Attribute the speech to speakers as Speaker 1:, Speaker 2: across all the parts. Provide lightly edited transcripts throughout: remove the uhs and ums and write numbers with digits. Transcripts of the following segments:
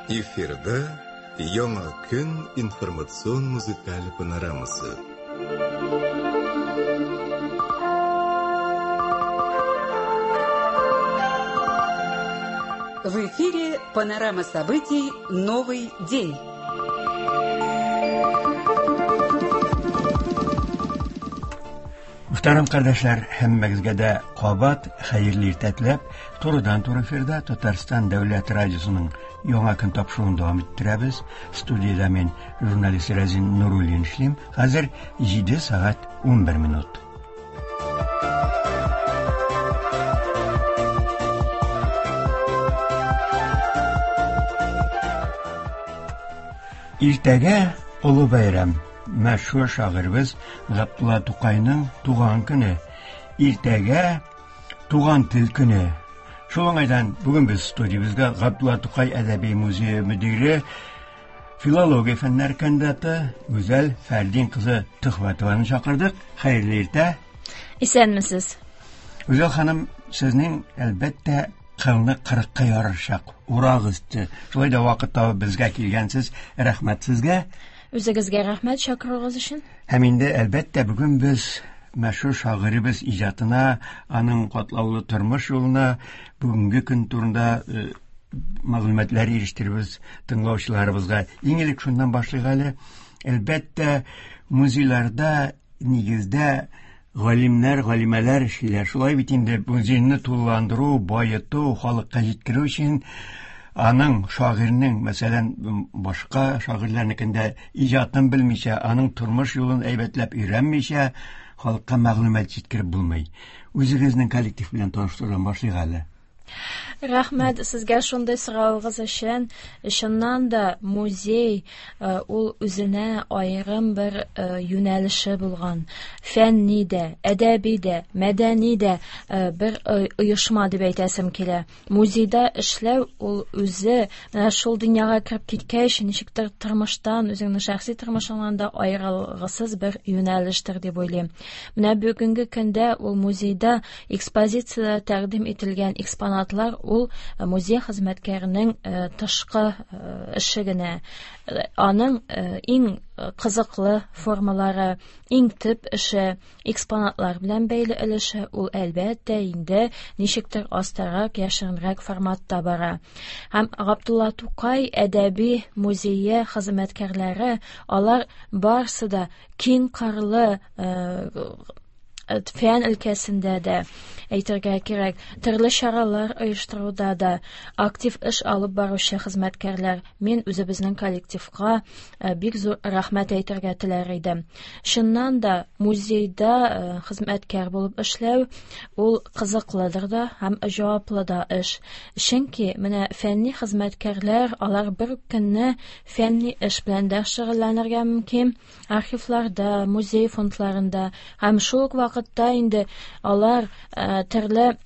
Speaker 1: Эфирда Яңа көн информацион музыкаль панорамасы.
Speaker 2: В эфире панорама событий «Новый день».
Speaker 3: Мөхтәрәм кардәшләр, һәммәгезгә дә кабат хәерле иртә теләп, турыдан-туры эфирда Татарстан дәүләт радиосының Яңа көн тапшыруын дәвам иттерәбез. Студиядә мин, журналист Рәзин Нуруллин эшлим. Хәзер 7 сәгать 11 минут. Иртәгә олы бәйрәм. Мәшһүр шагыйребез Габдулла Тукайның туган көне. Иртәгә туган тел көне. Шул уңайдан бүген без студиябезгә Габдулла Тукай әдәби музее мөдире, филология фәннәре кандидаты Гүзәл Фәрдин кызы Төхвәтованы чакырдык. Хәерле иртә.
Speaker 4: Исәнмесез.
Speaker 3: Гүзәл ханым, сезнең әлбәттә кылны кырыкка ярыр чак, урак өсте. Шулай да вакыт табып безгә килгәнсез. Рәхмәт сезгә.
Speaker 4: Үзегезгә рәхмәт чакыруыгыз өчен.
Speaker 3: Һәм инде әлбәттә бүген без мәшһүр шагыйребез иҗатына, аның катлаулы тормыш юлына, бүгенге көн турында э, мәгълүматлар ирештеребез тыңлаучыларыбызга. Иң элек шуннан башлыйк әле. Әлбәттә, музейларда нигездә галимнәр, галимәләр эшлиләр. Шулай бит инде музейны тулыландыру, баету, халыкка җиткерү өчен аның шагыйрьнең, мәсәлән, башка шагыйрьләрнекендә иҗатын белмичә, аның тормыш юлын әйбәтләп өйрәнмичә, халыкка мәгълүмат җиткереп булмый. Үзегезнең коллектив белән таныштырудан башлыйк әле.
Speaker 4: Рәхмәт сезгә шундый соравыгыз өчен. Чыннан да музей э, ул үзенә аерым бер э, юнәлеше булган фәнни дә, әдәби дә, мәдәни дә э, бер оешма дип әйтәсем килә. Музейда эшләү ул үзе менә шул дөньяга кереп киткәч, ничектер тормыштан, үзеңнең шәхси тормышыңнан да аерылгысыз бер юнәлештер дип уйлыйм. Менә бүгенге көндә ул музейда экспозициядә тәкъдим ителгән экспонатлар ул э, музей хезмәткәренең э, тышкы э, эше генә. Аның иң кызыклы формалары, иң төп эше Экспонатлар белән бәйле өлеше ул, әлбәттә инде, ничектер астарак, яшеренрәк форматта бара. Һәм Габдулла Тукай әдәби музее хезмәткәрләре, алар барсы да киң кырлы э, фән өлкәсендә дә әйтергә кирәк, төрле чаралар оештыруда да актив эш алып баручы хезмәткәрләр. Мин үзебезнең коллективка э, бик зур рәхмәт әйтергә теләр идем. Чыннан да, музейда э, хезмәткәр булып эшләү ул кызыклыдыр да һәм җаваплы да эш. Чөнки менә фәнни хезмәткәрләр алар бер көнне фәнни эш белән дә шөгыльләнергә мөмкин, архивларда, музей фондларында һәм шул ук вакытта инде алар э, төрле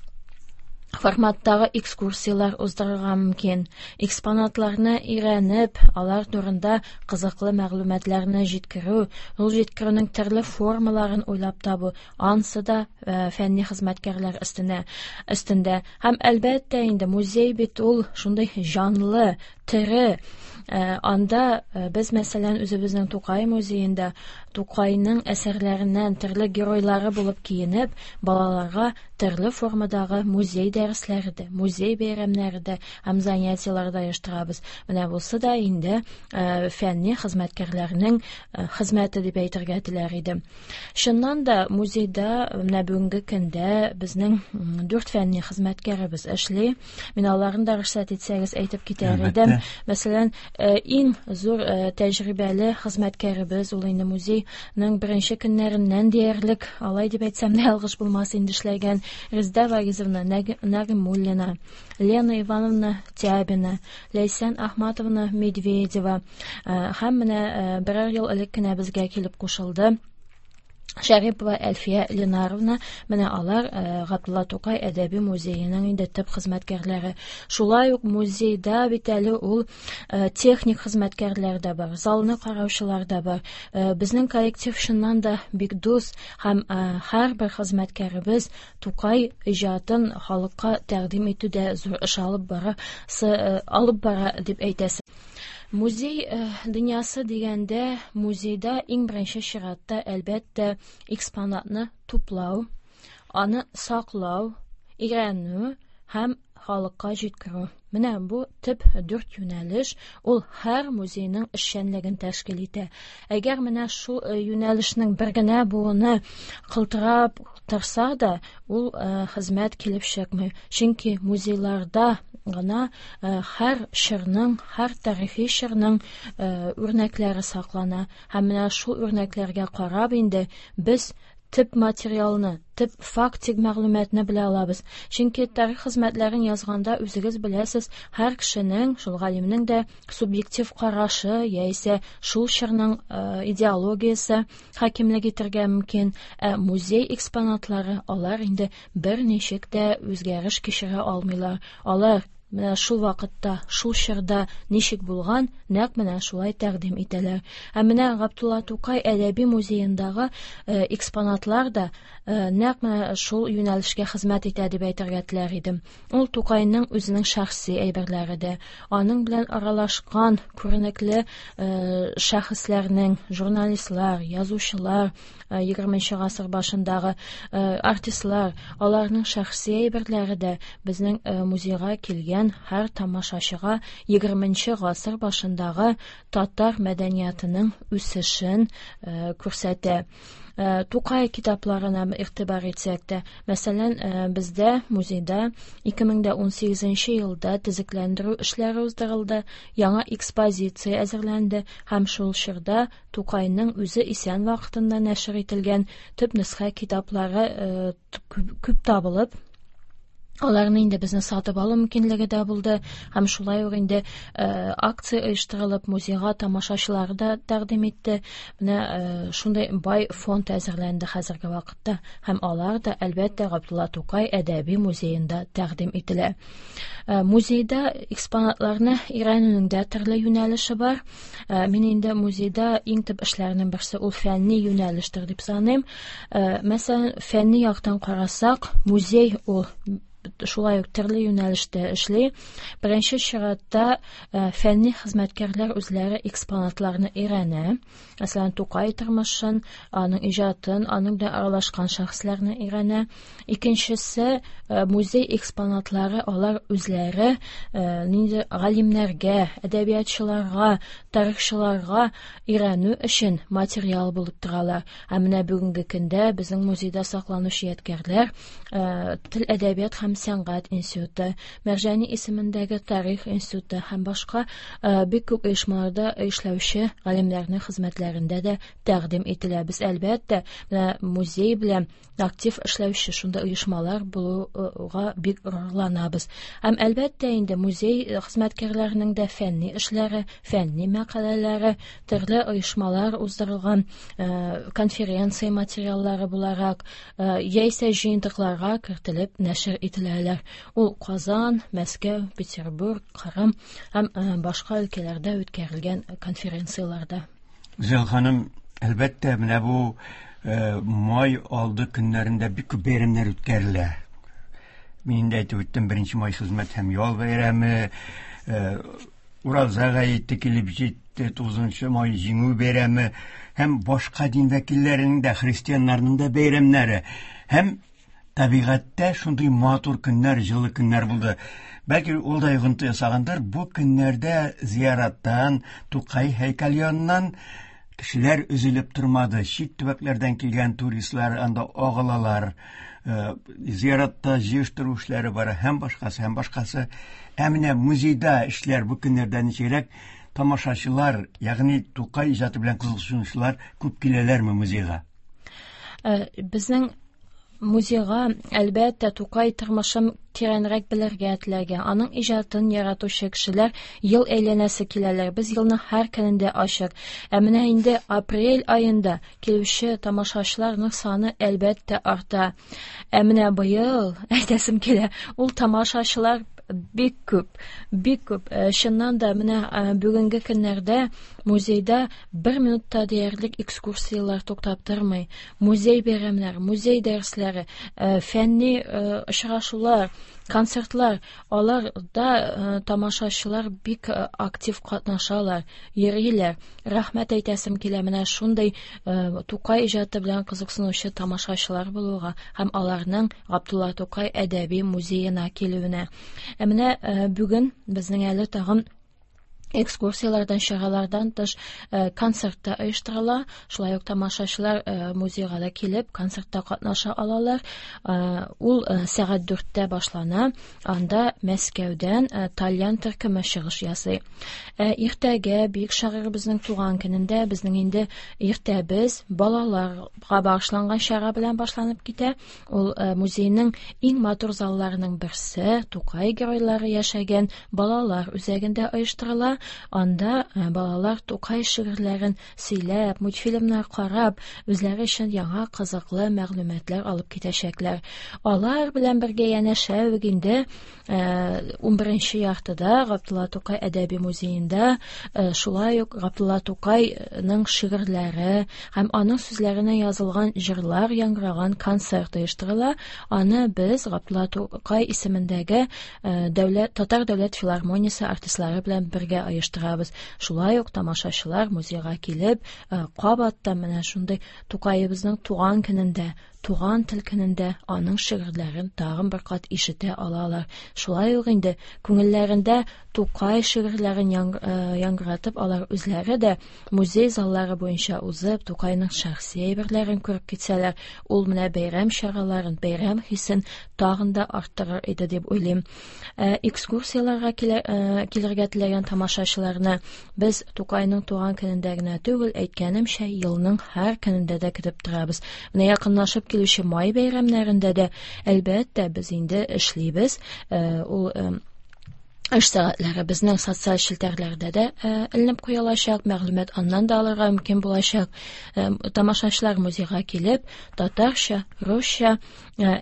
Speaker 4: форматтагы экскурсияләр уздырырга мөмкин. Экспонатларны өйрәнеп, алар турында кызыклы мәгълүматларны җиткерү, ул җиткерүнең төрле формаларын уйлап табу, ансы да э, фәнни хезмәткәрләр өстенә өстендә. Һәм әлбәттә инде музей бит ул шундый җанлы, тере. Э, анда э, без, мәсәлән, үзебезнең Тукай музеенда Тукайның әсәрләреннән төрле геройлары булып киенеп, балаларга төрле формадагы музей дәресләре дә, музей бәйрәмнәре дә һәм занятиеләр дә оештырабыз. Менә бусы да инде э, фәнни хезмәткәрләрнең хезмәте дип әйтергә теләр идем. Чыннан да музейда менә бүгенге көндә безнең дүрт фәнни хезмәткәребез эшли. Мин аларны да рөхсәт итсәгез әйтеп китәр идем. Мәсәлән, э, иң зур э, тәҗрибәле хезмәткәребез ул инде музейның беренче көннәреннән диярлек, алай дип әйтсәм дә ялгыш булмас инде эшләгән Резда Вагизовна Нагимуллина, Лена Ивановна Тябина, Ләйсән Ахматовна Медведева э, һәм менә берәр ел элек кенә безгә килеп кушылды. Шәрипова Әлфия Ленаровна, менә алар Габдулла Тукай әдәби музееның инде төп хезмәткәрләре. Шулай ук музейда бит әле ул техник хезмәткәрләр дә бар, залны караучылар да бар. Безнең коллектив чыннан да бик дус һәм һәрбер хезмәткәребез Тукай иҗатын халыкка тәкъдим итүдә зур эш алып бара, алып бара дип әйтәсе. Музей дөньясы дигәндә, музейда иң беренче чиратта, әлбәттә, экспонатны туплау, аны саклау, өйрәнү һәм халыкка җиткерү. Менә бу төп дүрт юнәлеш, ул һәр музейның эшчәнлеген тәшкил итә. Әгәр менә шул юнәлешнең бер генә буыны кылтырап торса да, ул хезмәт килеп чыкмый. Чөнки музейларда гына һәр чорның, һәр тарихи чорның үрнәкләре саклана. Һәм менә шул үрнәкләргә карап инде без төп материалны, төп фактик мәгълүматны белә алабыз. Чөнки тарих хезмәтләрен язганда үзегез беләсез, һәр кешенең, шул галимнең дә субъектив карашы яисә шул чорның идеологиясе хакимлек итәргә мөмкин. Ә музей экспонатлары алар инде берничек тә үзгәреш кичерә алмыйлар. Алар менә шул вакытта, шул чорда ничек булган, нәкъ менә шулай тәкъдим итәләр. Ә менә Габдулла Тукай әдәби музеендагы экспонатлар да нәкъ менә шул юнәлешкә хезмәт итә дип әйтергә теләр идем. Ул Тукайның үзенең шәхси әйберләре дә, аның белән аралашкан күренекле шәхесләрнең, журналистлар, язучылар, 20 гасыр башындагы артистлар, аларның шәхси әйберләре дә безнең музейга килгән һәр тамашачыга 20 гасыр башындагы татар мәдәниятының үсешен күрсәтә. Тукай китапларына игътибар итсәк тә, мәсәлән, бездә музейда 2018 елда төзекләндерү эшләре уздырылды, яңа экспозиция әзерләнде һәм шул чорда Тукайның үзе исән вакытында нәшер ителгән төп нөсхә китаплары күп табылып, аларны инде безне сатып алу мөмкинлеге дә булды һәм шулай ук инде акция оештырылып, музейга тамашачылар да тәкъдим итте. Менә шундый бай фонд әзерләнде хәзерге вакытта һәм алар да, әлбәттә, Габдулла Тукай әдәби музеенда тәкъдим ителә. Музейда экспонатларны өйрәнүнең дә төрле юнәлеше бар. Мин инде музейда иң төп эшләрнең берсе ул фәнни юнәлештер дип саныйм. Мәсәлән, фәнни яктан карасак, музей ул шулай ук төрле юнәлештә эшли. Беренче чиратта фәнни хезмәткәрләр үзләре экспонатларны өйрәнә. Мәсәлән, Тукай тормышын, аның иҗатын, аның белән аралашкан шәхесләрне өйрәнә. Икенчесе, музей экспонатлары алар үзләре нинди галимнәргә, әдәбиятчыларга, тарихчыларга өйрәнү өчен материал булып торалар. Ә менә бүгенге көндә безнең музейда сакланучы ядкәрләр Тел, әдәбият һәм сәнгать институты, Мәрҗани исемендәге тарих институты һәм башка бик күп оешмаларда эшләүче галимнәрнең хезмәтләрендә дә тәкъдим ителә. Без, әлбәттә, менә музей белән актив эшләүче шундый оешмалар булуга бик горурланабыз. Һәм, әлбәттә, инде музей хезмәткәрләренең дә фәнни эшләре, фәнни мәкаләләре, төрле оешмалар уздырылган конференция материаллары буларак, яисә җыентыкларга кертелеп нәшер ителәләр. Ул Казан, Мәскәү, Петербург, Кырым һәм башка өлкәләрдә үткәрелгән конференцияләрдә.
Speaker 3: Гүзәл ханым, әлбәттә, менә бу май алды көннәрендә бик күп бәйрәмнәр үткәрелә. Мин инде әйтеп үттем, 1 май хезмәт һәм ял бәйрәме, Ураза гаете килеп җитте, 9 май җиңү бәйрәме һәм башка дин вәкилләренең дә, христианнарның да бәйрәмнәре. Һәм табигатьтә шундый матур көннәр, җылы көннәр булды. Бәлки ул да йогынты ясагандыр. Бу көннәрдә зияраттан, Тукай һәйкәл яныннан кешеләр өзелеп тормады. Чит төбәкләрдән килгән туристлар анда агылалар. Зиратта җыештыру эшләре бара һәм башкасы, һәм башкасы. Ә менә музейда эшләр бу көннәрдә ничегрәк? Тамашачылар, ягъни Тукай иҗаты белән кызыксынучылар күп киләләрме музейга?
Speaker 4: Безнең Музейга, әлбәттә, Тукай тормышын тирәнрәк белергә теләгән, аның иҗатын яратучы кешеләр ел әйләнәсе киләләр. Без елның һәр көнендә ачык. Ә менә инде апрель аенда килүче тамашачыларның саны, әлбәттә, арта. Ә менә быел, әйтәсем килә, ул тамашачылар бик күп, бик күп. Чыннан да, менә бүгенге көннәрдә музейда бер минутта диярлек экскурсияләр туктап тормый. Музей бәйрәмнәре, музей дәресләре, фәнни очрашулар, концертлар, аларда тамашачылар бик актив катнашалар, йөриләр. Рәхмәт әйтәсем килә менә шундый Тукай иҗаты белән кызыксынучы тамашачылар булуга һәм аларның Габдулла Тукай әдәби музеена килүенә. Ә менә бүген безнең әле тагын экскурсияләрдән, чаралардан тыш концерт та оештырыла. Шулай ук тамашачылар музейга да килеп, концертта катнаша алалар. Ул сәгать 4-тә башлана. Анда Мәскәүдән тальян төркеме чыгыш ясый. Иртәгә бөек шагыйребезнең туган көнендә безнең инде иртәбез балаларга багышланган чара белән башланып китә. Ул музейның иң матур залларының берсе, Тукай геройлары яшәгән балалар үзәгендә оештырыла. Анда балалар Тукай шигырьләрен сөйләп, мультфильмнар карап, үзләре өчен яңа кызыклы мәгълүматлар алып китәчәкләр. Алар белән бергә янәшә үк инде 11 яртыда Габдулла Тукай әдәби музеенда шулай ук Габдулла Тукайның шигырьләре һәм аның сүзләренә язылган җырлар яңгыраган концерт оештырыла. Аны без Габдулла Тукай исемендәге дәүләт Татар дәүләт филармониясе артистлары белән бергә оештырабыз. Шулай ук тамашачылар музейга килеп, кабаттан менә шундый Тукаебызның туган көнендә, туган тел көнендә аның шигырьләрен тагын бер кат ишетә алалар. Шулай ук инде күңелләрендә Тукай шигырьләрен яңгыратып, алар үзләре дә музей заллары буенча узып, Тукайның шәхси әйберләрен күреп китсәләр, ул менә бәйрәм чараларын, бәйрәм хисен тагын да арттырыр иде дип уйлыйм. Экскурсияләргә килергә теләгән тамашачыларны без Тукайның туган көнендә генә түгел, әйткәнемчә, елның һәр көнендә дә көтеп торабыз. Менә якынлашып килүче май бәйрәмнәрендә дә, әлбәттә, без инде эшлибез. Ул эш сәгатьләре безнең социаль челтәрләрдә дә эленеп куелачак, мәгълүмат аннан да алырга мөмкин булачак. Тамашачылар музейга килеп, татарча, русча,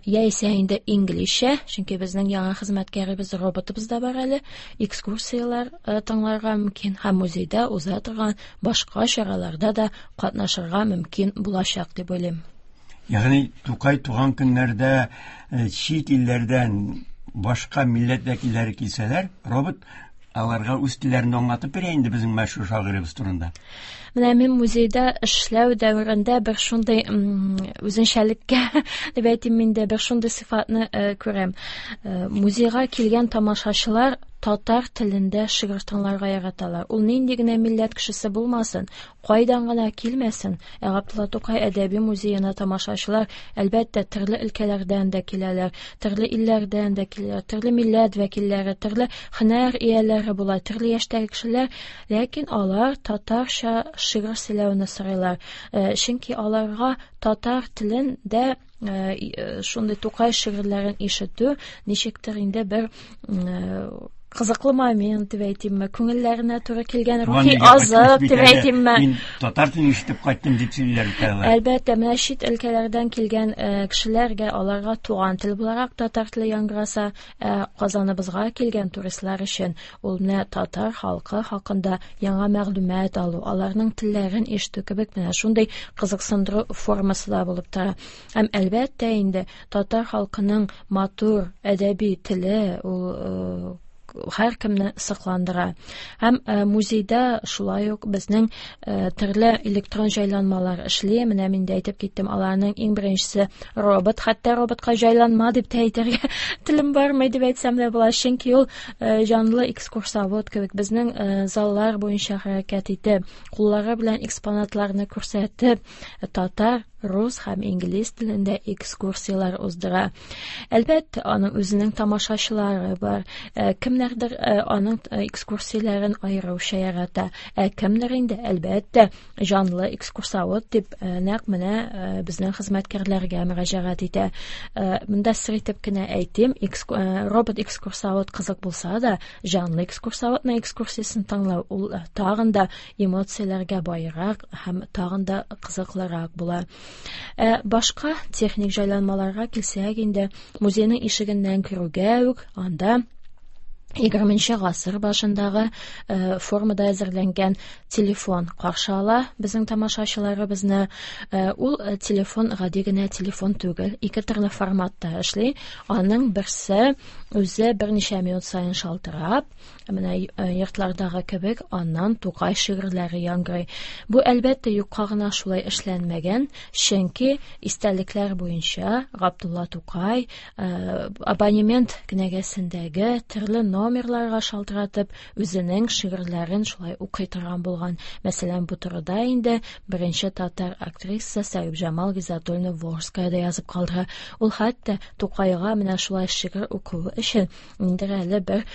Speaker 4: яисә инде инглизчә, чөнки безнең яңа хезмәткәребез, роботыбыз да бар әле, экскурсияләр тыңларга мөмкин һәм музейда уза торган башка чараларда да катнашырга мөмкин булачак дип уйлыйм.
Speaker 3: Ягъни Тукай туган көннәрдә чит илләрдән башка милләт вәкилләре килсәләр, робот аларга үз телләрен аңлатып бирә инде безнең мәшһүр шагыйребез турында.
Speaker 4: Менә мин музейда эшләү дәверендә бер шундый үзенчәлеккә дип әйтим инде, бер шундый сыйфатны күрәм. Музейга килгән тамашачылар татар телендә шигырь тыңларга яраталар. Ул нинди генә милләт кешесе булмасын, кайдан гына килмәсен, ә Габдулла Тукай әдәби музеена тамашачылар, әлбәттә, төрле өлкәләрдән дә киләләр, төрле илләрдән дә киләләр, төрле милләт вәкилләре, төрле һөнәр ияләре була, төрле яшьтәге кешеләр, ләкин алар татарча шигырь сөйләүне сорыйлар. Чөнки аларга татар телендә шундый Тукай шигырьләрен ишетү ничектер инде бер кызыклы момент дип әйтимме, күңелләренә туры килгән рухи азык дип әйтимме.
Speaker 3: Мин татар телен ишетеп кайттым дип сөйлиләр бит алар.
Speaker 4: Әлбәттә, менә чит өлкәләрдән килгән кешеләргә аларга туган тел буларак татар теле яңгыраса, Казаныбызга килгән туристлар өчен ул менә татар халкы хакында яңа мәгълүмат алу, аларның телләрен ишетү кебек менә шундый кызыксындыру формасы да булып тора. Һәм әлбәттә инде татар халкының матур әдәби теле ул һәркемне сокландыра. Һәм музейда шулай ук безнең төрле электрон җайланмалар эшли. Менә мин дә әйтеп киттем, аларның иң беренчесе робот. Хәтта роботка җайланма дип тә әйтергә телем бармый дип әйтсәм дә була, чөнки ул җанлы экскурсовод кебек безнең заллар буенча хәрәкәт итеп, куллары белән экспонатларны күрсәтеп, татар рус һәм инглиз телендә экскурсияләр уздыра. Әлбәттә, аның үзенең тамашачылары бар. Кемнәрдер аның экскурсияләрен аеруча ярата, ә кемдер инде, әлбәттә, җанлы экскурсовод дип нәкъ менә безнең хезмәткәрләргә мөрәҗәгать итә. Монда сер итеп кенә әйтим, робот экскурсовод кызык булса да, җанлы экскурсоводның экскурсиясен тыңлау ул тагын да эмоцияләргә баерак һәм тагын да кызыклырак була. Башка техник җайланмаларга килсәк инде, музейның ишегеннән керүгә үк анда 20 гасыр башындагы формада әзерләнгән телефон каршы ала безнең тамашачыларыбызны. Ул телефон гади генә телефон түгел, ике төрле форматта эшли. Аның берсе үзе берничә минут саен шалтырап, менә йортлардагы кебек, аннан Тукай шигырьләре яңгырый. Бу, әлбәттә, юкка гына шулай эшләнмәгән, чөнки истәлекләр буенча Габдулла Тукай абонемент кенәгәсендәге төрле номерларга шалтыратып, үзенең шигырьләрен шулай укый торган булган. Мәсәлән, бу турыда инде беренче татар актриса Сәгибҗамал Гизатуллина Волжская да язып калдыра. Ул хәтта Тукайга менә шулай шигырь укуы өчен ниндидер әле бер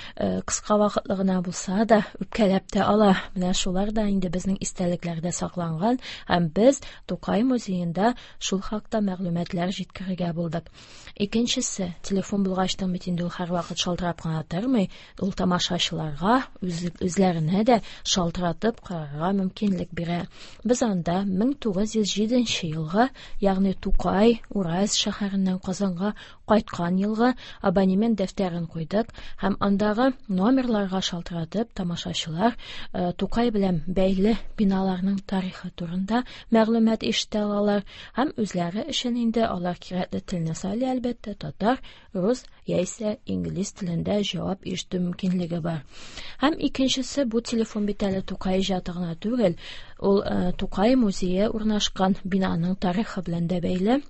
Speaker 4: кыска вакытлы гына булса да үпкәләп тә ала. Менә шулар да инде безнең истәлекләрдә сакланган һәм без Тукай музеенда шул хакта мәгълүматлар җиткерергә булдык. Икенчесе, телефон булгачтан бит инде ул һәрвакыт шалтырап кына тормый, ул тамашачыларга үзләренә дә шалтыратып карарга мөмкинлек бирә. Без анда 1907 елгы, ягъни Тукай Уральск шәһәреннән Казанга кайткан елгы абонемент дәфтәрен куйдык һәм андагы номерларга шалтыратып тамашачылар Тукай белән бәйле биналарның тарихы турында мәгълүмат ишетә алалар һәм үзләре өчен инде алар кирәкле телне сайлый, әлбәттә, татар, рус яисә инглиз телендә җавап ишетү мөмкинлеге бар. Һәм икенчесе, бу телефон бит әле Тукай иҗаты гына түгел, ул Тукай музее урнашкан бинаның тарихы белән дә бәйле.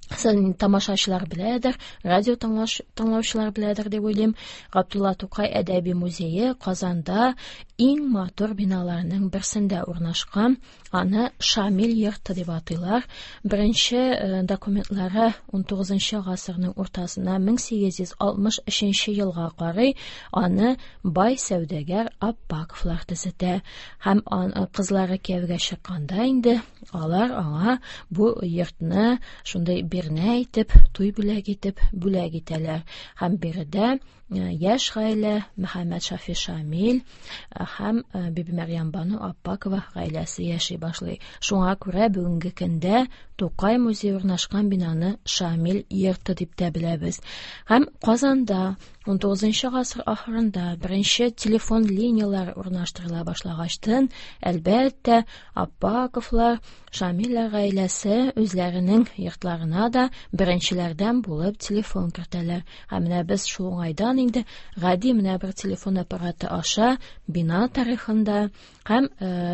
Speaker 4: Сен тамашачылар беләдер, радио тыңлаучылар беләдер дип уйлыйм. Габдулла Тукай әдәби музее Казанда иң матур биналарның берсендә урнашкан. Аны Шамил йорты дип атыйлар. Беренче документлары 19 гасырның уртасына 1863 елга карый. Аны бай сәүдәгәр Аппаковлар төзетә. Һәм кызлары кияүгә чыкканда инде алар аңа бу йортны шундый бирнә итеп, туй бүләк итеп бүләк итәләр. Һәм биредә яшь гаилә Мөхәммәд Шафи Шамил һәм Бибимәрьям Бану Аппакова гаиләсе яши башлый. Шуңа күрә бүгенге көндә Тукай музее урнашкан бинаны Шамил йорты дип тә беләбез. Һәм Казанда 19 гасыр ахырында беренче телефон линияләре урнаштырыла башлагачтын, әлбәттә, Аппаковлар, Шамилләр гаиләсе үзләренең йортларына да беренчеләрдән булып телефон кертәләр. Һәм менә без шул уңайдан инде гади менә бер телефон аппараты аша бина тарихында һәм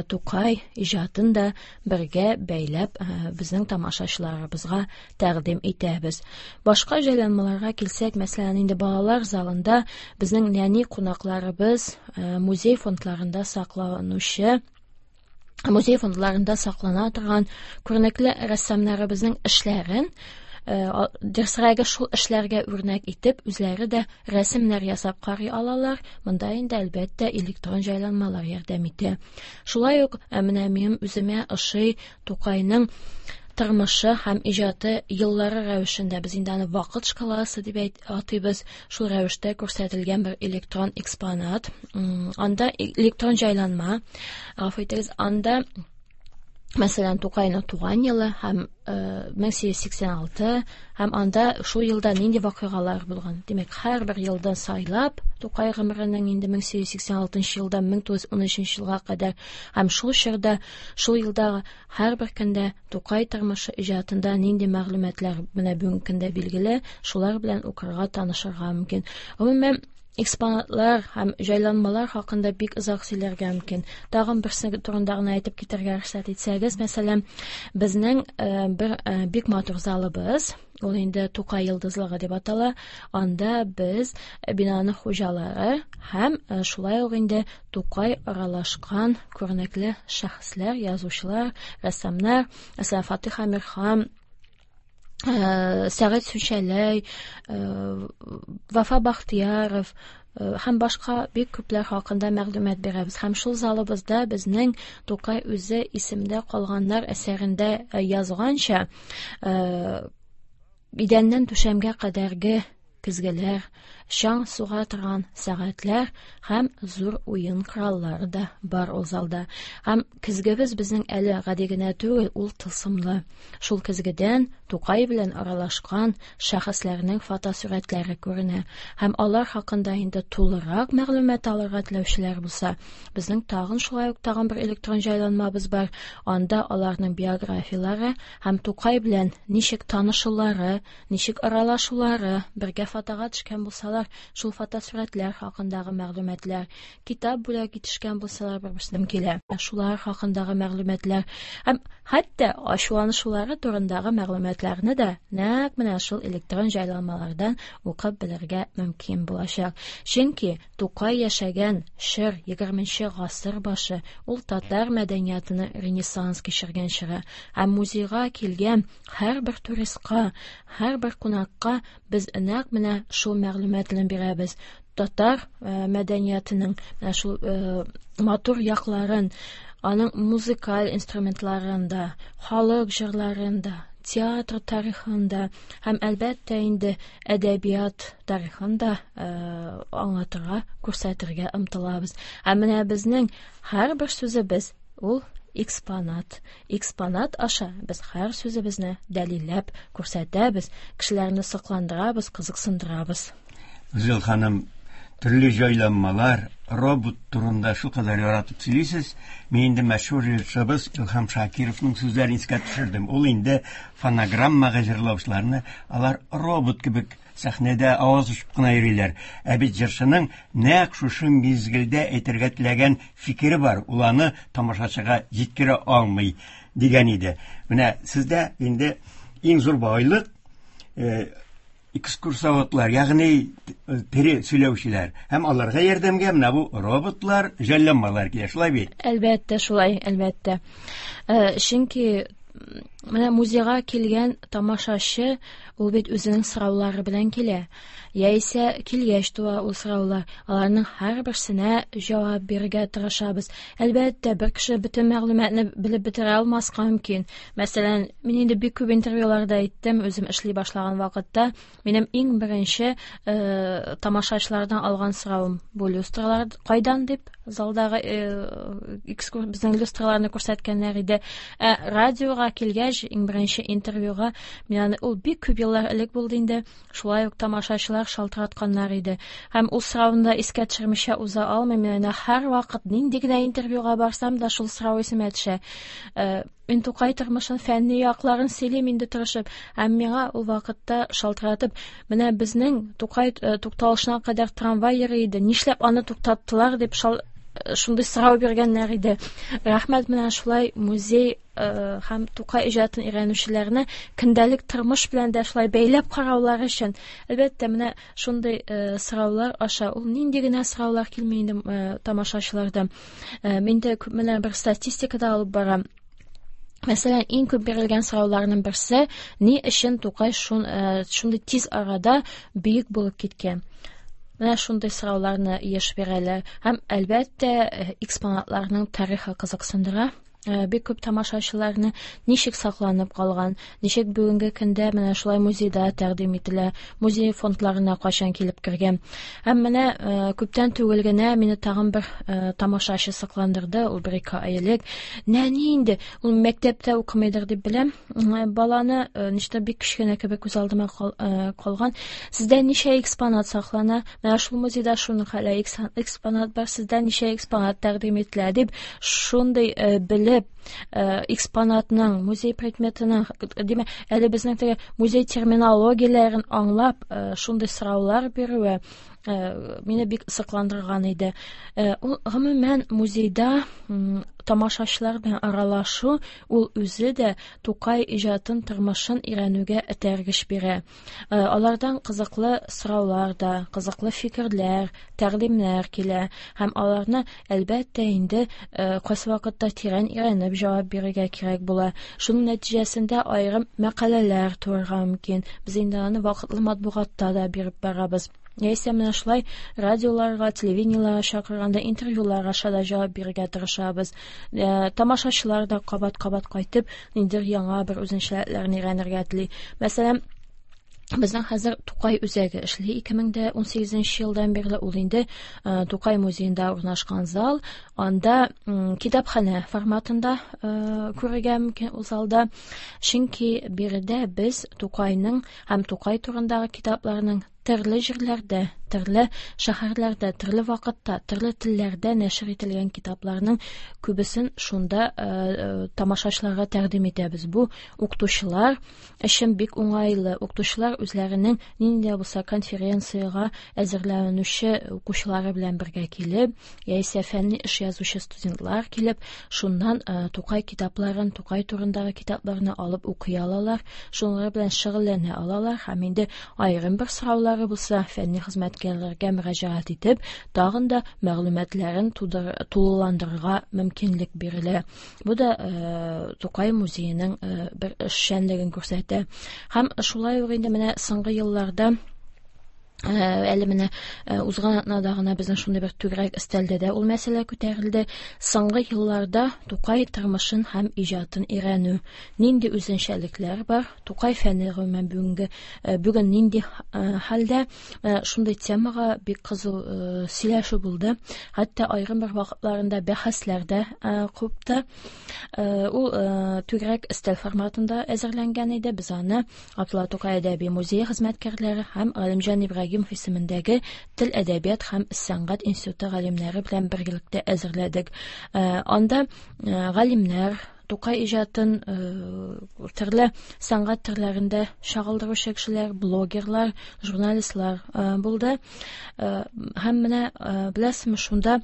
Speaker 4: Тукай иҗатын да бергә бәйләп безнең тамашачыларыбызга тәкъдим итәбез. Башка җайланмаларга килсәк, мәсәлән, инде балалар залында безнең нәни кунакларыбыз музей фондларында сакланучы музей фондларында саклана торган күренекле рәссамнарыбызның эшләрен, дөресрәге шул эшләргә үрнәк итеп, үзләре дә рәсемнәр ясап карый алалар. Монда инде, әлбәттә, электрон җайланмалар ярдәм итә. Шулай ук менә минем үземә ошый Тукайның тормышы һәм иҗаты еллары рәвешендә, без инде аны вакыт шкаласы дип атыйбыз, шул рәвештә күрсәтелгән бер электрон экспонат. Анда электрон җайланма, гафу итегез, анда мәсәлән Тукайның туган елы һәм 1886 һәм анда шул елда нинди вакыйгалар булган. Димәк, һәрбер елдан сайлап Тукай гомеренең инде 1886 елдан 1913 елга кадәр һәм шул чорда, шул елдагы һәрбер көндә Тукай тормышы иҗатында нинди мәгълүматлар менә бүгенге көндә билгеле, шулар белән укырга, танышырга мөмкин. Гомумән, Экспонатлар һәм җайланмалар хакында бик озак сөйләргә мөмкин. Тагын берсе турында гына әйтеп китәргә рөхсәт итсәгез, мәсәлән, безнең бер бик матур залыбыз, ул инде Тукай йолдызлыгы дип атала. Анда без бинаның хуҗалары һәм шулай ук инде Тукай аралашкан күренекле шәхесләр, язучылар, рәссамнар, мәсәлән, Фатих Әмирхан, Сәгыйть Сүнчәләй, Вафа Бахтияров һәм башка бик күпләр хакында мәгълүмат бирәбез. Һәм шул залыбызда безнең Тукай үзе исемдә калганнар әсәрендә язганча, идәннән түшәмгә кадәрге көзгеләр, чаң суга торган сәгатьләр һәм зур уен кораллары да бар ул залда. Һәм көзгебез безнең әле гади генә түгел, ул тылсымлы. Шул көзгедән Тукай белән аралашкан шәхесләрнең фотосурәтләре күренә. Һәм алар хакында инде тулырак мәгълүмат алырга теләүчеләр булса, безнең тагын шулай ук тагын бер электрон җайланмабыз бар. Анда аларның биографияләре һәм Тукай белән ничек танышулары, ничек аралашулары, бергә фотога төшкән булсалар, шул фотосурәтләр хакындагы мәгълүматлар, китап бүләк итешкән булсалар, бер-берсенә килә. Шулар хакындагы мәгълүматлар һәм хәтта ачуланышулары турындагы мәгълүматларны да нәкъ менә шул электрон җайланмалардан укып белергә мөмкин булачак. Чөнки Тукай яшәгән чор 20 гасыр башы, ул татар мәдәниятының ренессанс кичергән чоры. Һәм музейга килгән һәрбер туристка, һәрбер кунакка без нәкъ менә шул мәгълүматны бирәбез. Татар мәдәниятының менә шул матур якларын, аның музыкаль инструментларында, халык җырларында, театр тарихында һәм әлбәттә инде әдәбият тарихын да аңлатырга, күрсәтергә омтылабыз. Һәм менә безнең һәрбер сүзебез ул экспонат. Экспонат аша без һәр сүзебезне дәлилләп күрсәтәбез, кешеләрне сокландырабыз, кызыксындырабыз.
Speaker 3: Гүзәл ханым, төрле җайланмалар, робот турында шулкадәр яратып сөйлисез. Мин инде мәшһүр җырчыбыз Илһам Шакировның сүзләрен искә төшердем. Ул инде фонограммага җырлаучыларны алар робот кебек сәхнәдә аваз очып кына йөриләр. Ә бит җырчының нәкъ шушы мизгелдә әйтергә теләгән фикере бар, ул аны тамашачыга җиткерә алмый дигән иде. Менә сездә инде иң зур байлык экскурсоводлар, ягъни тере сөйләүчеләр һәм аларга ярдәмгә менә бу роботлар, җайланмалар килә, шулай бит?
Speaker 4: Әлбәттә, шулай, әлбәттә. Чөнки менә музейга килгән тамашачы ул бит үзенең сораулары белән килә. Яисә килгәч туа ул сораулар. Аларның һәрберсенә җавап бирергә тырышабыз. Әлбәттә, бер кеше бөтен мәгълүматны белеп бетерә алмаска мөмкин. Мәсәлән, мин инде бик күп интервьюларда әйттем, үзем эшли башлаган вакытта минем иң беренче тамашачылардан алган соравым бу люстралар кайдан дип, залдагы безнең люстраларны күрсәткәннәр иде. Ә радиога килгәч, иң беренче интервьюга мин аны, ул бик күп еллар элек булды инде, шулай ук тамашачылар шалтыратканнар иде. Һәм ул сорауны да искә төшермичә уза алмыйм. Мин аны һәрвакыт нинди генә интервьюга барсам да шул сорау исемә төшә. Мин Тукай тормышын, фәнни якларын сөйлим инде тырышып. Һәм миңа ул вакытта шалтыратып, менә безнең Тукай тукталышына кадәр трамвай йөри иде, нишләп аны туктаттылар дип шундый сорау биргәннәр иде. Рәхмәт, менә шулай музей һәм Тукай иҗатын өйрәнүчеләрне көндәлек тормыш белән дә шулай бәйләп караулары өчен. Әлбәттә, менә шундый сораулар аша, ул нинди генә сораулар килми инде тамашачылардан. Мин дә күп менә бер статистика да алып барам. Мәсәлән, иң күп бирелгән сорауларның берсе, ни өчен Тукай шундый тиз арада бөек булып киткән? Менә шундый сорауларны еш бирәләр. Һәм әлбәттә, экспонатларның тарихы кызыксындыра. Бик күп тамашачыларны ничек сакланып калган, ничек бүгенге көндә менә шулай музейда тәкъдим ителә, музей фондларына кайчан килеп кергән. Һәм менә күптән түгел генә мине тагын бер тамашачы сокландырды, ул бер ике ай элек. Нәни инде, ул мәктәптә укымыйдыр дип беләм. Баланы ничектер бик кечкенә кебек күз алдыма калган. Сездә ничә экспонат саклана? Менә шул музейда шуның хәле экспонат бар, сездә ничә экспонат тәкъдим ителә дип, шундый белеп, экспонатның, музей предметының, димәк, әле безнең теге музей терминологияләрен аңлап, шундый сораулар бирүе, Мине бик сокландырган иде. Ул гомумән музейда тамашачылар белән аралашу, ул үзе дә Тукай иҗатын, тормышын өйрәнүгә этәргеч бирә. Алардан кызыклы сораулар да, кызыклы фикерләр, тәкъдимнәр килә һәм аларны, әлбәттә инде, кайсы вакытта тирән өйрәнеп җавап бирергә кирәк була. Шуның нәтиҗәсендә аерым мәкаләләр туарга мөмкин. Без инде аны вакытлы матбугатта да биреп барабыз. Яисә менә шулай радиоларга, телевидениеларга чакырганда интервьюлар аша да җавап бирергә тырышабыз. Тамашачылар да кабат-кабат кайтып, ниндидер яңа бер үзенчәлекләрне өйрәнергә тели. Мәсәлән, безнең хәзер Тукай үзәге эшли 2018 елдан бирле. Ул инде Тукай музеенда урнашкан зал. Анда китапханә форматында күрергә мөмкин ул залда. Чөнки биредә без Тукайның һәм Тукай турындагы китапларның төрле җирләрдә, төрле шәһәрләрдә, төрле вакытта, төрле телләрдә нәшер ителгән китапларның күбесен шунда тамашачыларга тәкъдим итәбез. Бу укытучылар өчен бик уңайлы. Укытучылар үзләренең нинди дә булса конференциягә әзерләнүче укучылары белән бергә килеп, яисә фәнни эш язучы студентлар килеп, шуннан Тукай китапларын, Тукай турындагы китапларны алып укый алалар, шуның белән шөгыльләнә алалар һәм инде аерым бер сораулары булса, фәнни хезмәткәрләргә мөрәҗәгать итеп, тагын да мәгълүматларын тулыландырырга мөмкинлек бирелә. Бу да Тукай музееның бер эшчәнлеген күрсәтә. Һәм шулай ук инде менә соңгы елларда, әле менә узган атнада гына безнең шундый бер түгәрәк өстәлдә дә ул мәсьәлә күтәрелде. Соңгы елларда Тукай тормышын һәм иҗатын өйрәнү, нинди үзенчәлекләр бар, Тукай фәне гомумән бүген нинди хәлдә, шундый темага бик кызу сөйләшү булды. Хәтта аерым бер вакытларында бәхәсләр дә купты. Ул түгәрәк өстәл форматында әзерләнгән иде. Без аны Габдулла Тукай әдәби музее хезмәткәрләре һәм Галимҗан Ибраһимов исемендәге Тел, әдәбият һәм сәнгать институты галимнәре белән берлектә әзерләдек. Анда галимнәр Тукай иҗатын төрле сәнгать төрләрендә чагылдыручы кешеләр, блогерлар, журналистлар булды. Һәм менә беләсезме, шунда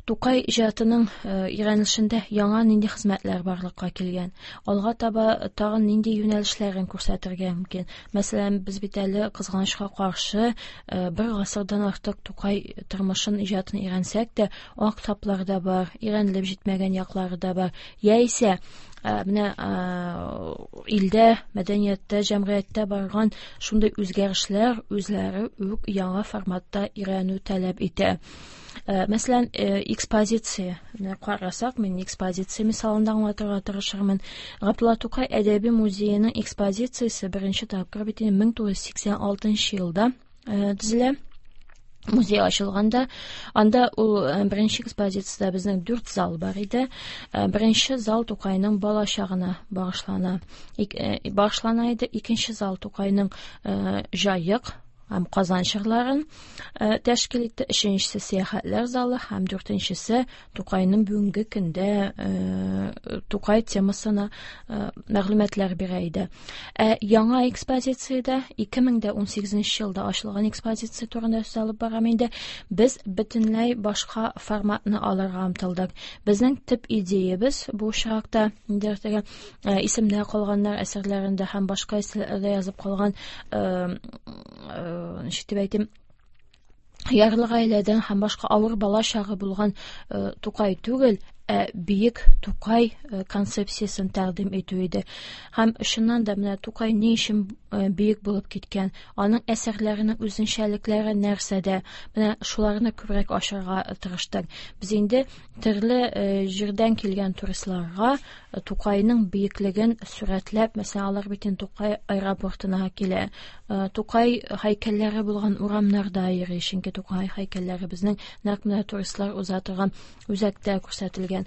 Speaker 4: Тукай иҗатының өйрәнелешендә яңа нинди хезмәтләр барлыкка килгән, алга таба тагын нинди юнәлешләрен күрсәтергә мөмкин. Мәсәлән, без бит әле кызганычка каршы бер гасырдан артык Тукай тормышын, иҗатын өйрәнсәк тә, ак таплар да бар, өйрәнелеп җитмәгән яклары да бар. Яисә менә илдә, мәдәнияттә, җәмгыятьтә барган шундый үзгәрешләр үзләре үк яңа форматта өйрәнү таләп итә. Мәсәлән, экспозиция. Менә карасак, мин экспозиция мисалында аңлатырга тырышырмын. Габдулла Тукай әдәби музееның экспозициясе беренче тапкыр бит инде 1986 елда төзелә. Музей ачылганда, анда ул беренче экспозицияда безнең 4 зал бар иде. Беренче зал Тукайның бала чагына багышлана иде. Икенче зал Тукайның Җаек һәм Казан чорларын тәшкил итте. Өченчесе сәяхәтләр залы һәм дүртенчесе Тукайның бүгенге көндә Тукай темасына мәгълүматлар бирә иде. Яңа экспозициядә 2018 елда ачылган экспозиция турында сүз алып барам инде. Без бөтенләй башка форматны алырга омтылдык. Безнең төп идеябез бу очракта ниндидер теге исемдә калганнар әсәрләрендә һәм башка әсәрләрдә язып калган, ничек дип әйтим, ярлы гаиләдән һәм башка авыр бала чагы булган Тукай түгел, ә бөек Тукай концепциясен тәкъдим итү иде. Һәм чыннан да менә Тукай ни өчен бөек булып киткән, аның әсәрләренең үзенчәлекләре нәрсәдә, менә шуларны күбрәк ачарга тырыштык. Без инде төрле җирдән килгән туристларга Тукайның бөеклеген сурәтләп, мәсәлән, алар бит инде Тукай аэропортына килә, Тукай һәйкәлләре булган урамнарда йөри, чөнки Тукай һәйкәлләре безнең нәкъ менә туристлар уза торган үзәктә күрсәтелгән.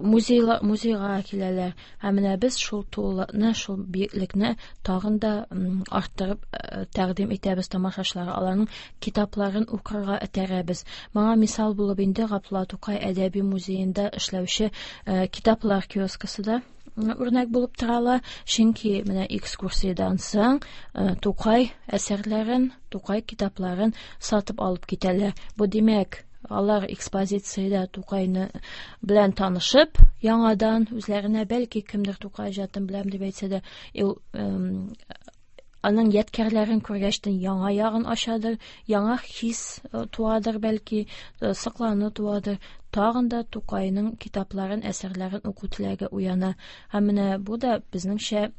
Speaker 4: Музейга киләләр. Һәм менә без шул тулылыкны, шул биеклекне тагын да арттырып тәкъдим итәбез тамашачыларга, аларның китапларын укырга этәрәбез. Моңа мисал булып инде Габдулла Тукай әдәби музеенда эшләүче китаплар киоскасы да үрнәк булып тора ала, чөнки менә экскурсиядән соң Тукай әсәрләрен, Тукай китапларын сатып алып китәләр. Бу димәк, алар экспозициядә Тукайны белән танышып, яңадан үзләренә бәлки кемдер Тукай иҗатын беләм дип әйтсә дә, ул аның ядкәрләрен күргәчтен яңа ягын ачадыр, яңа хис туадыр бәлки, соклану туадыр. Тагын да Тукайның китапларын, әсәрләрен уку теләге уяна. Һәм менә бу да безнеңчә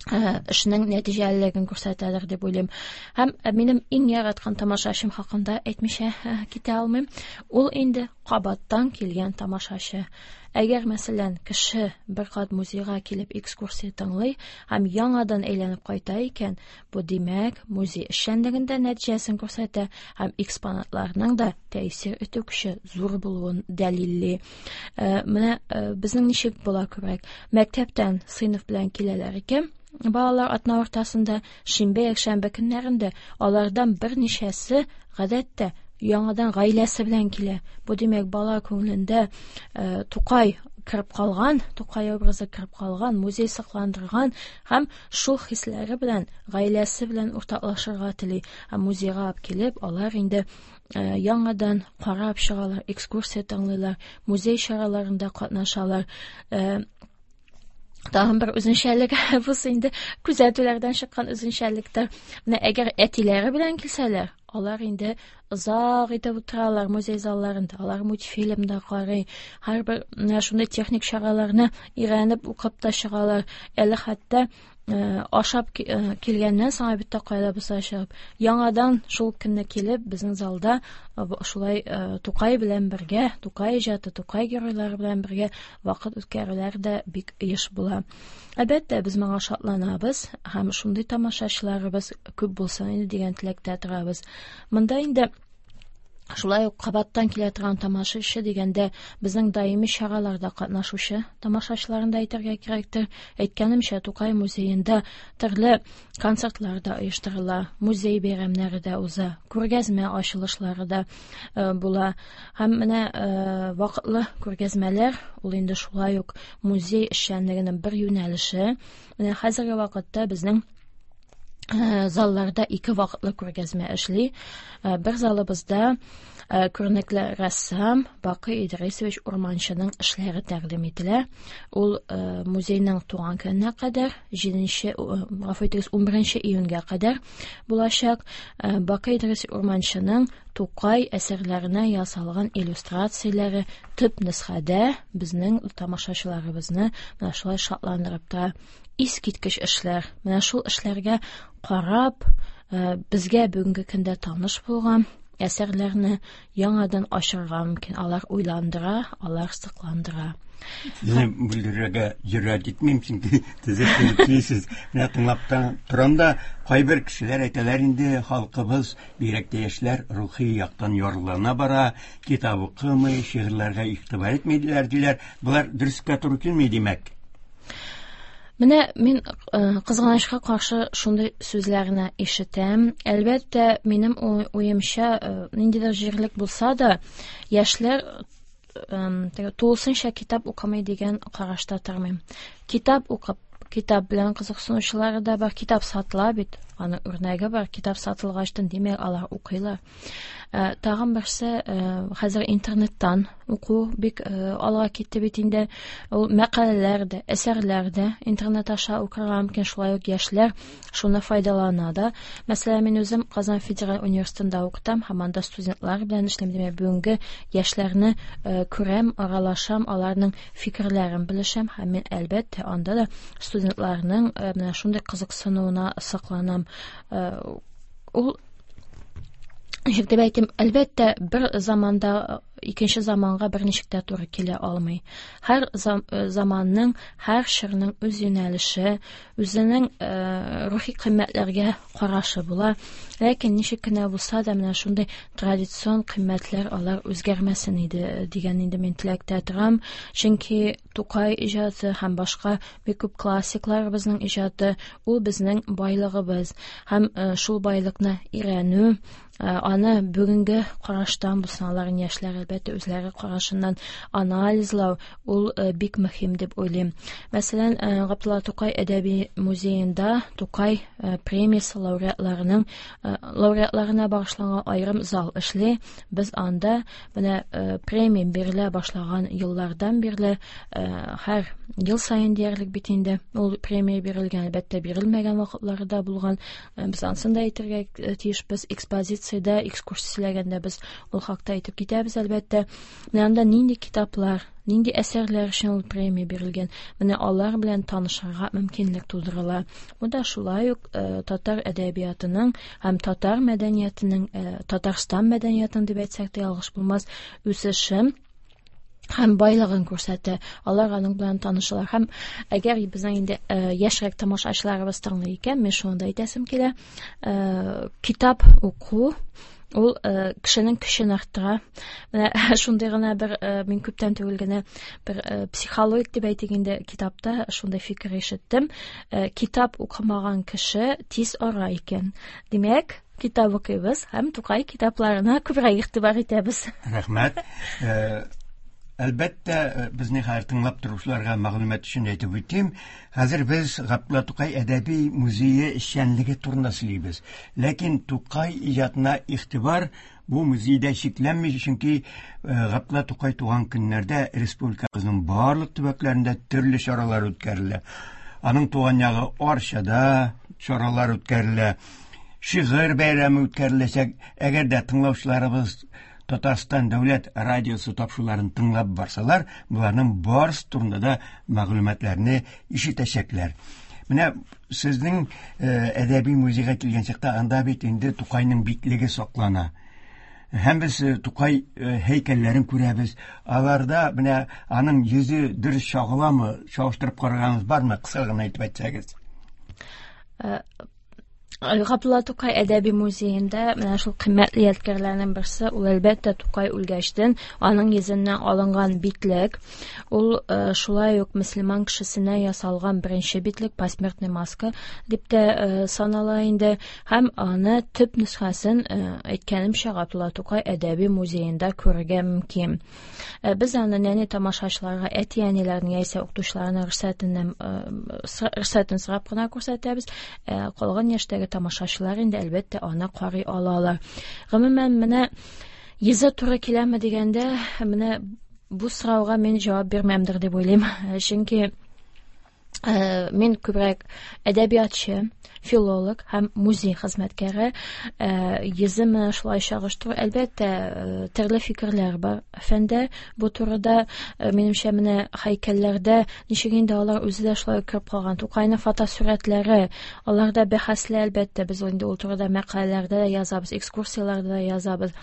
Speaker 4: эшнең нәтиҗәлелеген күрсәтәдер дип уйлыйм. Һәм минем иң яраткан тамашачым хакында әйтмичә китә алмыйм. Ул инде кабаттан килгән тамашачы. Әгәр, мәсәлән, кеше бер кат музейга килеп экскурсия тыңлый һәм яңадан әйләнеп кайта икән, бу димәк, музей эшчәнлегендә нәтиҗәсен күрсәтә һәм экспонатларның да тәэсир итү көче зур булуын дәлилли. Менә безнең ничек була күбрәк? Мәктәптән сыйныф белән киләләр икән, балалар атна уртасында, шимбә, якшәмбе көннәрендә алардан берничәсе гадәттә яңадан гаиләсе белән килә. Бу димәк, бала күңелендә Тукай кереп калган, Тукай образы кереп калган, музей сакландырган һәм шул хисләре белән гаиләсе белән уртаклашырга тели. Һәм музейга алып килеп, алар инде яңадан карап чыгалар, экскурсия тыңлыйлар, музей чараларында катнашалар. Тагын бер үзенчәлек, бусы инде күзәтүләрдән чыккан үзенчәлектер. Менә әгәр әтиләре белән килсәләр, алар инде озак итеп утыралар музей залларында, алар мультфильм да карый, һәрбер менә шундый техник чараларны өйрәнеп укып та чыгалар. Әле хәтта ашап килгәннән соң әлбәттә кайда булса чыгып, яңадан шул көнне килеп безнең залда шулай Тукай белән бергә, Тукай иҗаты, Тукай геройлары белән бергә вакыт үткәрүләр дә бик еш була. Әлбәттә, без моңа шатланабыз һәм шундый тамашачыларыбыз күп булсын инде дигән теләктә торабыз. Монда инде шулай ук кабаттан килә торган тамашачы дигәндә безнең даими чараларда катнашучы тамашачыларын да әйтергә кирәктер. Әйткәнемчә, Тукай музеенда төрле концертлар да оештырыла, музей бәйрәмнәре дә уза, күргәзмә ачылышлары да була. Һәм менә вакытлы күргәзмәләр, ул инде шулай ук музей эшчәнлегенең бер юнәлеше. Менә хәзерге вакытта безнең залларда ике вакытлы күргәзмә эшли. Бер залыбызда күренекле рәссам Бакый Идрисович Урманчының эшләре тәкъдим ителә. Ул музейның туган көненә кадәр, җиденче, гафу итегез, унберенче июньгә кадәр булачак. Бакый Идрис Урманчының Тукай әсәрләренә ясалган иллюстрацияләре төп нөсхәдә безнең тамашачыларыбызны менә шулай шатландырып тора. Искиткеч эшләр. Менә шул эшләргә карап, безгә бүгенге көндә таныш булган әсәрләрне яңадан ачырга мөмкин. Алар уйландыра, алар сокландыра.
Speaker 3: Сезне бүлдерергә җөрьәт итмим, чөнки төзек сөйлисез. Менә тыңлап торам да, кайбер кешеләр әйтәләр инде, халкыбыз, бигрәк тә яшьләр, рухи яктан ярлана бара, китап укымый, шигырьләргә игътибар итмиләр, диләр. Болар дөрескә туры килми, димәк.
Speaker 4: Менә мин кызганычка каршы шундый сүзләрне ишетәм. Әлбәттә, минем уемча, ниндидер җирлек булса да, яшьләр тулысынча китап укымый дигән карашта тормыйм. Китап укып, китап белән кызыксынучылары да бар, китап сатыла бит, аның үрнәге бар, китап сатылгачтан, димәк, алар укыйлар. Тагын берсе, хәзер интернеттан уку бик алга китте бит инде. Ул мәкаләләр дә, әсәрләр дә интернет аша укырга мөмкин, шулай ук яшьләр шуны файдалана да. Мәсәлән, мин үзем Казан федераль университетында укытам һәм анда студентлар белән эшлим. Димәк, бүгенге яшьләрне күрәм, аралашам, аларның фикерләрен белешәм һәм мин әлбәттә анда да студентларның менә шундый кызыксынуына сокланам. Ул ничек дип әйтим, әлбәттә, бер заманда икенче заманга берничек тә туры килә алмый. Һәр заманның, һәр чорның үз юнәлеше, үзенең рухи кыйммәтләргә карашы була. Ләкин ничек кенә булса да, менә шундый традицион кыйммәтләр алар үзгәрмәсен иде дигән инде мин теләктә торам. Чөнки Тукай иҗаты һәм башка бик күп классикларыбызның иҗаты ул безнең байлыгыбыз. Һәм шул байлыкны өйрәнү, аны бүгенге караштан булсын, аларын яшьләр әлбәттә әлбәттә, үзләре карашыннан анализлау ул бик мөһим дип уйлыйм. Мәсәлән, Габдулла Тукай әдәби музеенда Тукай премиясе лауреатларының лауреатларына багышланган аерым зал эшли. Без анда менә премия бирелә башлаган еллардан бирле һәр ел саен диярлек бит инде ул премия бирелгән, әлбәттә, бирелмәгән вакытлары да булган. Без анысын да әйтергә тиешбез. Экспозициядә, экскурсия сөйләгәндә без ул хакта әйтеп китәбез, әлбәттә. Менә анда нинди китаплар, нинди әсәрләр өчен ул премия бирелгән, менә алар белән танышырга мөмкинлек тудырыла. Бу да шулай ук татар әдәбиятының һәм татар мәдәниятының, Татарстан мәдәниятының дип әйтсәк тә ялгыш булмас, үсеше һәм байлыгын күрсәтә. Алар аның белән танышалар. Һәм әгәр безнең инде яшьрәк тамашачыларыбыз тыңлый икән, мин шуны да әйтәсем килә. Китап уку ул кешенең көчен арттыра. Менә шундый гына бер мин күптән түгел генә бер психологик дип әйтик инде китапта шундый фикер ишеттем. Китап укымаган кеше тиз ара икән. Димәк, китап укыйбыз һәм Тукай китапларына күбрәк игътибар итәбез.
Speaker 3: Рәхмәт. Әлбәттә, безне хәзер тыңлап торучыларга мәгълүмат өчен әйтеп үтим. Хәзер без Габдулла Тукай әдәби музее эшчәнлеге турында сөйлибез. Ләкин Тукай иҗатына игътибар бу музейда чикләнми, чөнки Габдулла Тукай туган көннәрдә республикабызның барлык төбәкләрендә төрле чаралар үткәрелә. Аның туган ягы Арчада чаралар үткәрелә. Шигырь бәйрәме үткәреләчәк. Әгәр дә тыңлаучыларыбыз Татарстан дәүләт радиосы тапшыруларын тыңлап барсалар, боларның барысы турында да мәгълүматларны ишетәчәкләр. Менә сезнең әдәби музейга килгән чакта анда бит инде Тукайның битлеге саклана. Һәм без Тукай һәйкәлләрен күрәбез. Аларда менә аның йөзе дөрес чагыламы? Чагыштырып караганыгыз бармы? Кыска гына әйтеп әйтсәгез.
Speaker 4: Габдулла Тукай әдәби музеенда менә шул кыйммәтле ядкәрләрнең берсе, ул әлбәттә Тукай үлгәчтен аның йөзеннән алынган битлек. Ул шулай ук мөселман кешесенә ясалган беренче битлек, посмертный маска дип тә санала инде. Һәм аны төп нөсхәсен, әйткәнемчә, Габдулла Тукай әдәби музеенда күрергә мөмкин. Без аны нәни тамашачыларга әти-әниләрнең яисә укытучыларның рөхсәтен сорап кына күрсәтәбез. Калган яшьтәге тамашачылар инде әлбәттә аны карый алалар. Гомумән, менә йөзе туры киләме дигәндә, менә бу сорауга мин җавап бирмәмдер дип уйлыйм. Чөнки мин күбрәк әдәбиятчы, филолог һәм музей хезмәткәре. Йөзе менә шулай чагыштыру, әлбәттә, төрле фикерләр бар фәндә бу турыда. Минемчә, менә һәйкәлләрдә ничек инде алар үзе дә шулай кереп калган. Тукайның фотосурәтләре, алар да бәхәсле, әлбәттә, без инде ул турыда мәкаләләрдә дә язабыз, экскурсияләрдә дә язабыз.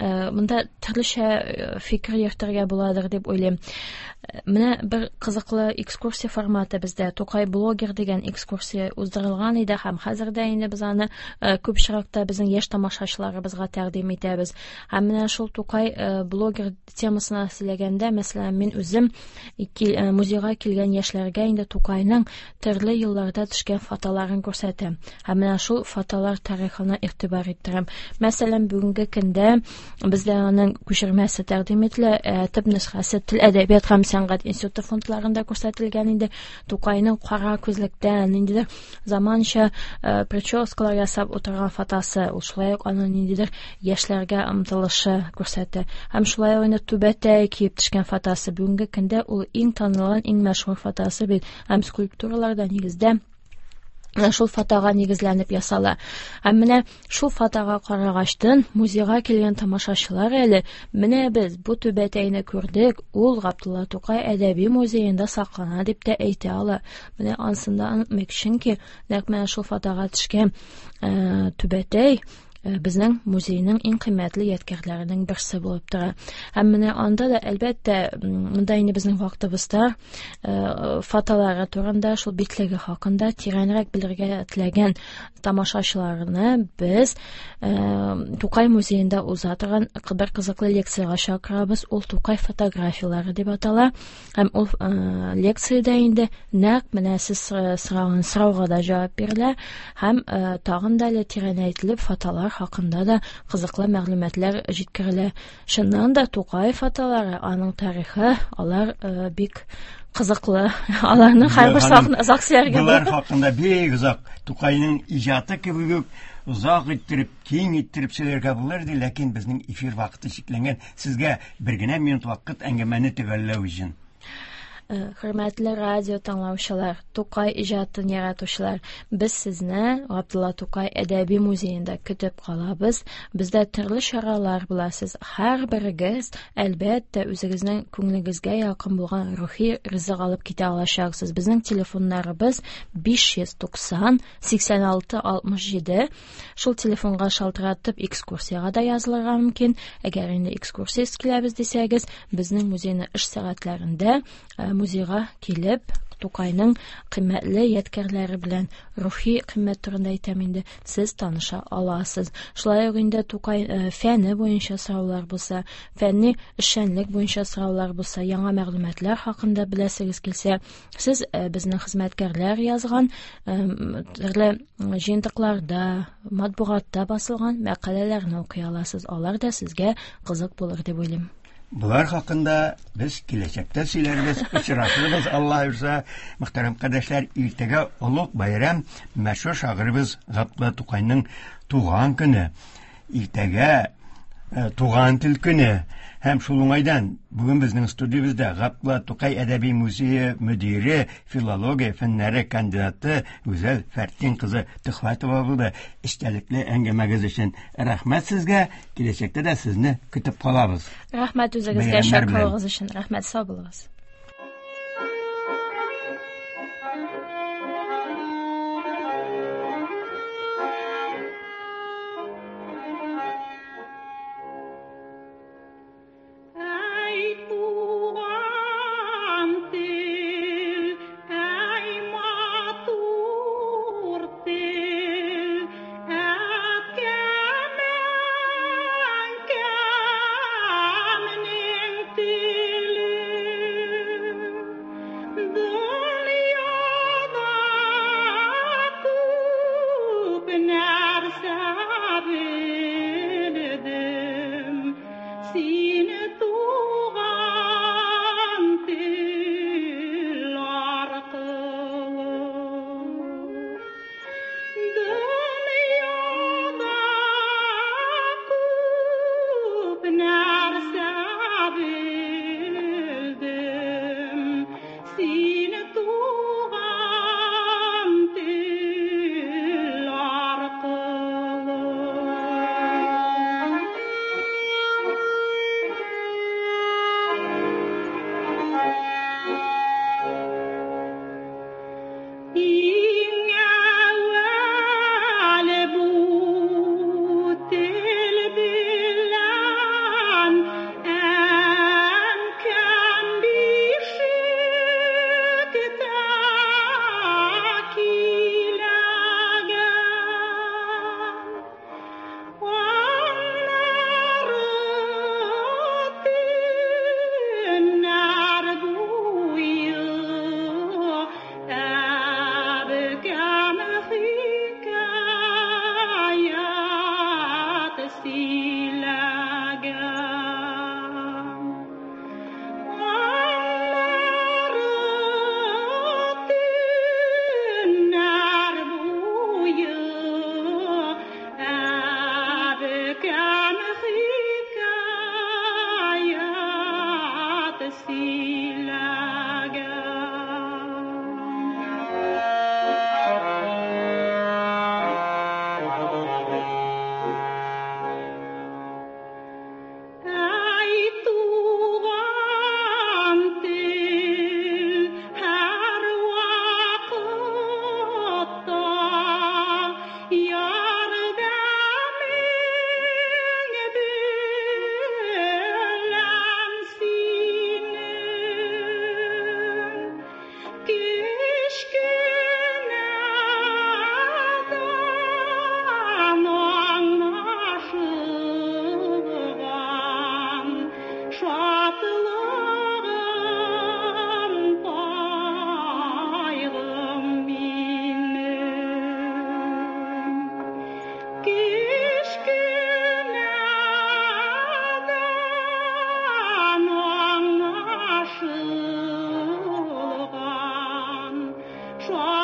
Speaker 4: Монда төрлечә фикер йөртергә буладыр дип уйлыйм. Менә бер кызыклы экскурсия форматы бездә. Тукай блогер дигән экскурсия уздырылган иде һәм хәзер дә инде без аны күп очракта безнең яшь тамашачыларыбызга тәкъдим итәбез. Һәм менә шул Тукай блогер темасына сөйләгәндә, мәсәлән, мин үзем музейга килгән яшьләргә инде Тукайның төрле елларда төшкән фотоларын күрсәтәм. Һәм менә шул фотолар тарихына игътибар иттерәм. Мәсәлән, бүгенге көндә бездә аның күчермәсе тәкъдим ителә, төп нөсхәсе Тел, әдәбият һәм сәнгать институты фондларында күрсәтелгән инде. Тукайның кара күзлектән ниндидер заманча прическалар ясап утырган фотосы, ул шулай ук аның ниндидер яшьләргә омтылышы күрсәтә. Һәм шулай ук инде түбәтәй киеп төшкән фотосы. Бүгенге көндә ул иң танылган, иң мәшһүр фотосы бит. Һәм скульптураларда нигездә шул фотога нигезләнеп ясала. Һәм менә шул фотога карагачтын музейга килгән тамашачылар әле менә без бу түбәтәйне күрдек, ул Габдулла Тукай әдәби музеенда саклана дип тә әйтә ала. Менә анысын да онытмыйк, чөнки нәкъ менә шул фотога төшкән түбәтәй безнең музейның иң кыйммәтле ядкәрләренең берсе булып тора. Һәм менә анда да, әлбәттә, монда инде безнең вакытыбызда фотолары турында, шул битлеге хакында тирәнрәк белергә теләгән тамашачыларны без Тукай музеенда уза торган бер кызыклы лекциягә чакырабыз. Ул Тукай фотографияләре дип атала. Һәм ул лекциядә инде нәкъ менә сез сораган сорауга да җавап бирелә һәм тагын да әле тирәнәйтелеп фотолар Алар хакында да кызыклы мәгълүматлар җиткерелә. Чыннан да Тукаев аталары, аның тарихы, алар бик кызыклы. Аларның һәрберсе хакында озак сөйләргә
Speaker 3: Болар хакында бик озак Тукайның иҗаты кебек үк озак иттереп, киң иттереп сөйләргә булыр иде, ләкин безнең эфир вакыты чикләнгән. Сезгә бер генә минут вакыт әңгәмәне төгәлләү өчен.
Speaker 4: Хөрмәтле радио тыңлаучылар, Тукай иҗатын яратучылар, без сезне Габдулла Тукай әдәби музеенда көтеп калабыз. Бездә төрле чаралар була. Сез һәрберегез, әлбәттә, үзегезнең күңелегезгә якын булган рухи ризык алып китә алачаксыз. Безнең телефоннарыбыз 590 86 67. Шул телефонга шалтыратып экскурсиягә дә язылырга мөмкин. Әгәр инде экскурсиясез киләбез дисәгез, безнең музейны эш сәгатьләрендә музейга килеп, Тукайның кыйммәтле ядкәрләре белән рухи кыйммәт турында әйтәм инде, сез таныша аласыз. Шулай ук инде Тукай фәне буенча сораулар булса, фәнни эшчәнлек буенча сораулар булса, яңа мәгълүматлар хакында беләсегез килсә, сез безнең хезмәткәрләр язган төрле җыентыкларда, матбугатта басылган мәкаләләрне укый аласыз. Алар да сезгә кызык булыр дип уйлыйм.
Speaker 3: Болар хакында без киләчәктә сөйләрбез, очрашырбыз, Алла боерса. Мөхтәрәм кардәшләр, иртәгә олуг байрам, мәшһүр шагыйребез Габдулла Тукайның туган көне. Иртәгә туган тел көне. Һәм шул уңайдан бүген безнең студиябездә Габдулла Тукай әдәби музее мөдире, филология фәннәре кандидаты Гүзәл Фәртин кызы Төхвәтова булды. Эчтәлекле әңгәмәгез өчен рәхмәт сезгә. Киләчәктә дә сезне көтеп калабыз.
Speaker 4: Рәхмәт үзегезгә чакыруыгыз өчен. Рәхмәт, сау булыгыз.
Speaker 5: Кешкенә 双。